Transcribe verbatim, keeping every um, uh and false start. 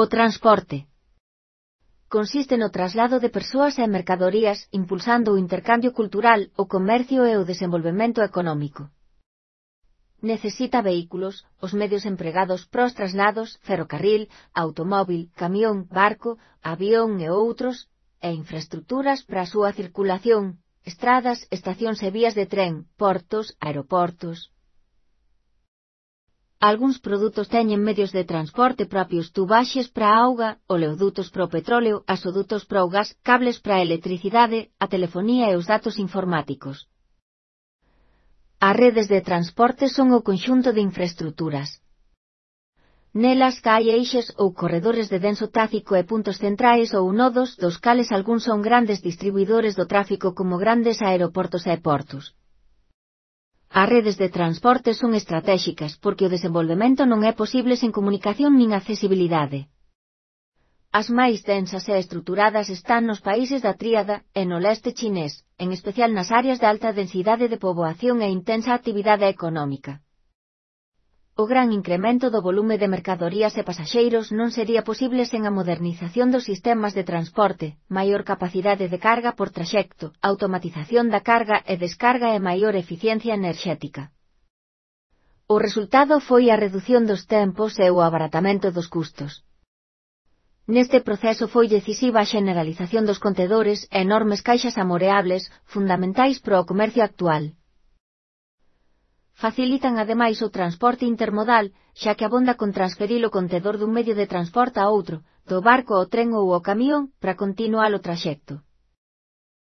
O transporte consiste no traslado de persoas e mercadorías impulsando o intercambio cultural, o comercio e o desenvolvemento económico. Necesita vehículos, os medios empregados pros traslados, ferrocarril, automóvil, camión, barco, avión e outros, e infraestructuras para a súa circulación, estradas, estacións e vías de tren, portos, aeroportos. Algúns produtos teñen medios de transporte propios, tubaxes para a auga, oleodutos para o petróleo, gasodutos para o gas, cables para a electricidade, a telefonía e os datos informáticos. As redes de transporte son o conxunto de infraestruturas. Nelas hai eixes ou corredores de denso tráfico e puntos centrais ou nodos, dos cales algúns son grandes distribuidores do tráfico como grandes aeroportos e portos. As redes de transporte son estratéxicas porque o desenvolvemento non é posible sen comunicación nin accesibilidade. As máis densas e estruturadas están nos países da tríada e no leste chinés, en especial nas áreas de alta densidade de poboación e intensa actividade económica. O gran incremento do volume de mercadorías e pasaxeiros non sería posible sen a modernización dos sistemas de transporte, maior capacidade de carga por traxecto, automatización da carga e descarga e maior eficiencia enerxética. O resultado foi a redución dos tempos e o abaratamento dos custos. Neste proceso foi decisiva a xeneralización dos contedores e enormes caixas amoreables, fundamentais para o comercio actual. Facilitan ademais o transporte intermodal, xa que abonda con transferir o contedor dun medio de transporte a outro, do barco ao tren ou ao camión, para continuar o traxecto.